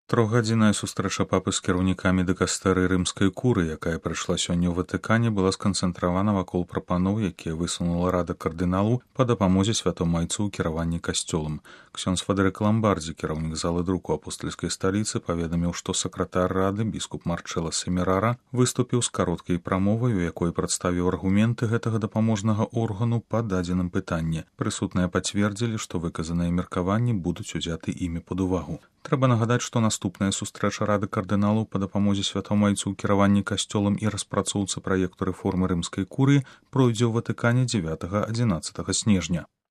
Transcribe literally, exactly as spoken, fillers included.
Трохгадзінная сустрэча папы з кіраўнікамі дыкастэрыі рымскай куры, якая прайшла сёння ў Ватыкане, была сканцэнтравана вакол прапаноў, якія высунула рада кардыналаў па дапамозе святому айцу ў кіраванні касцёлам. Ксёндз Фадэрык Ламбардзі, кіраўнік залы друку апостальскай сталіцы, паведаміў, што сакратар рады біскуп Марчэла Семерара выступіў з кароткай прамовай, у якой прадставіў аргументы гэтага дапаможнага органу па дадзеным пытанні. Прысутныя пацвердзілі, што выказаныя меркаванні будуць узяты імі пад увагу. Трэба нагадаць, што наступная сустрэча рады кардыналаў па дапамозе святому айцу ў кіраванні касцёлам і распрацоўцы праекту рэформы рымскай курыі пройдзе ў Ватыкане дзевятага-адзінаццатага снежня.